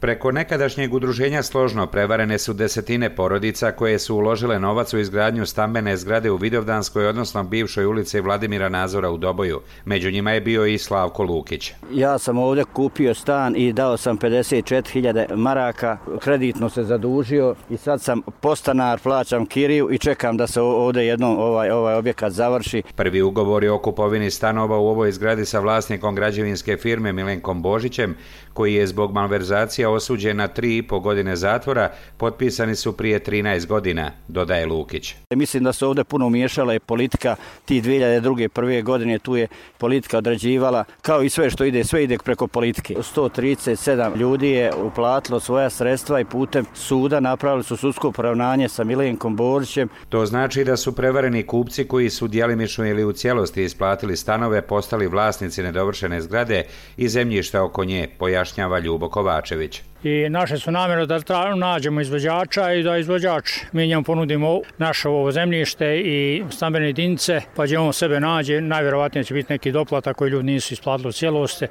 Preko nekadašnjeg udruženja Složno prevarene su desetine porodica koje su uložile novac u izgradnju stambene zgrade u Vidovdanskoj, odnosno bivšoj ulici Vladimira Nazora u Doboju. Među njima je bio i Slavko Lukić. Ja sam ovdje kupio stan i dao sam 54.000 maraka, kreditno se zadužio i sad sam podstanar, plaćam kiriju i čekam da se ovdje jednom ovaj objekat završi. Prvi ugovor je o kupovini stanova u ovoj zgradi sa vlasnikom građevinske firme Milenkom Božićem, koji je zbog malverzacija osuđen na 3,5 godine zatvora, potpisani su prije 13 godina, dodaje Lukić. Mislim da se ovdje puno umiješala i politika, ti 2002. prve godine tu je politika određivala, kao i sve što ide, sve ide preko politike. 137 ljudi je uplatilo svoja sredstva i putem suda napravili su sudsko poravnanje sa Milenkom Božićem. To znači da su prevareni kupci koji su djelimično ili u cijelosti isplatili stanove postali vlasnici nedovršene zgrade i zemljišta oko nje, pojašnjava Ljubo Kovačević. I naše su namjere da nađemo izvođača i da izvođač mi njemu ponudimo naše ovo zemljište i stambene jedinice, pa će on sebe nađe, najvjerovatnije će biti neki doplatak koji ljudi nisu isplatili u cijelosti.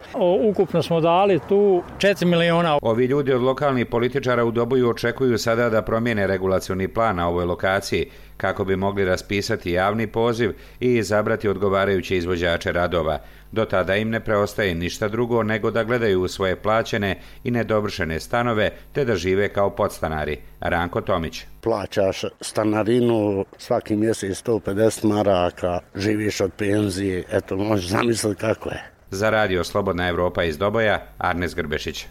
Ukupno smo dali tu 4 miliona. Ovi ljudi od lokalnih političara u Doboju očekuju sada da promijene regulacioni plan na ovoj lokaciji kako bi mogli raspisati javni poziv i izabrati odgovarajuće izvođače radova. Do tada im ne preostaje ništa drugo nego da gledaju u svoje plaćene i nedovršene stanove te da žive kao podstanari. Ranko Tomić. Plaćaš stanarinu svaki mjesec 150 maraka, živiš od penzije, eto možeš zamisliti kako je. Za radio Slobodna Evropa iz Doboja, Arnes Grbešić.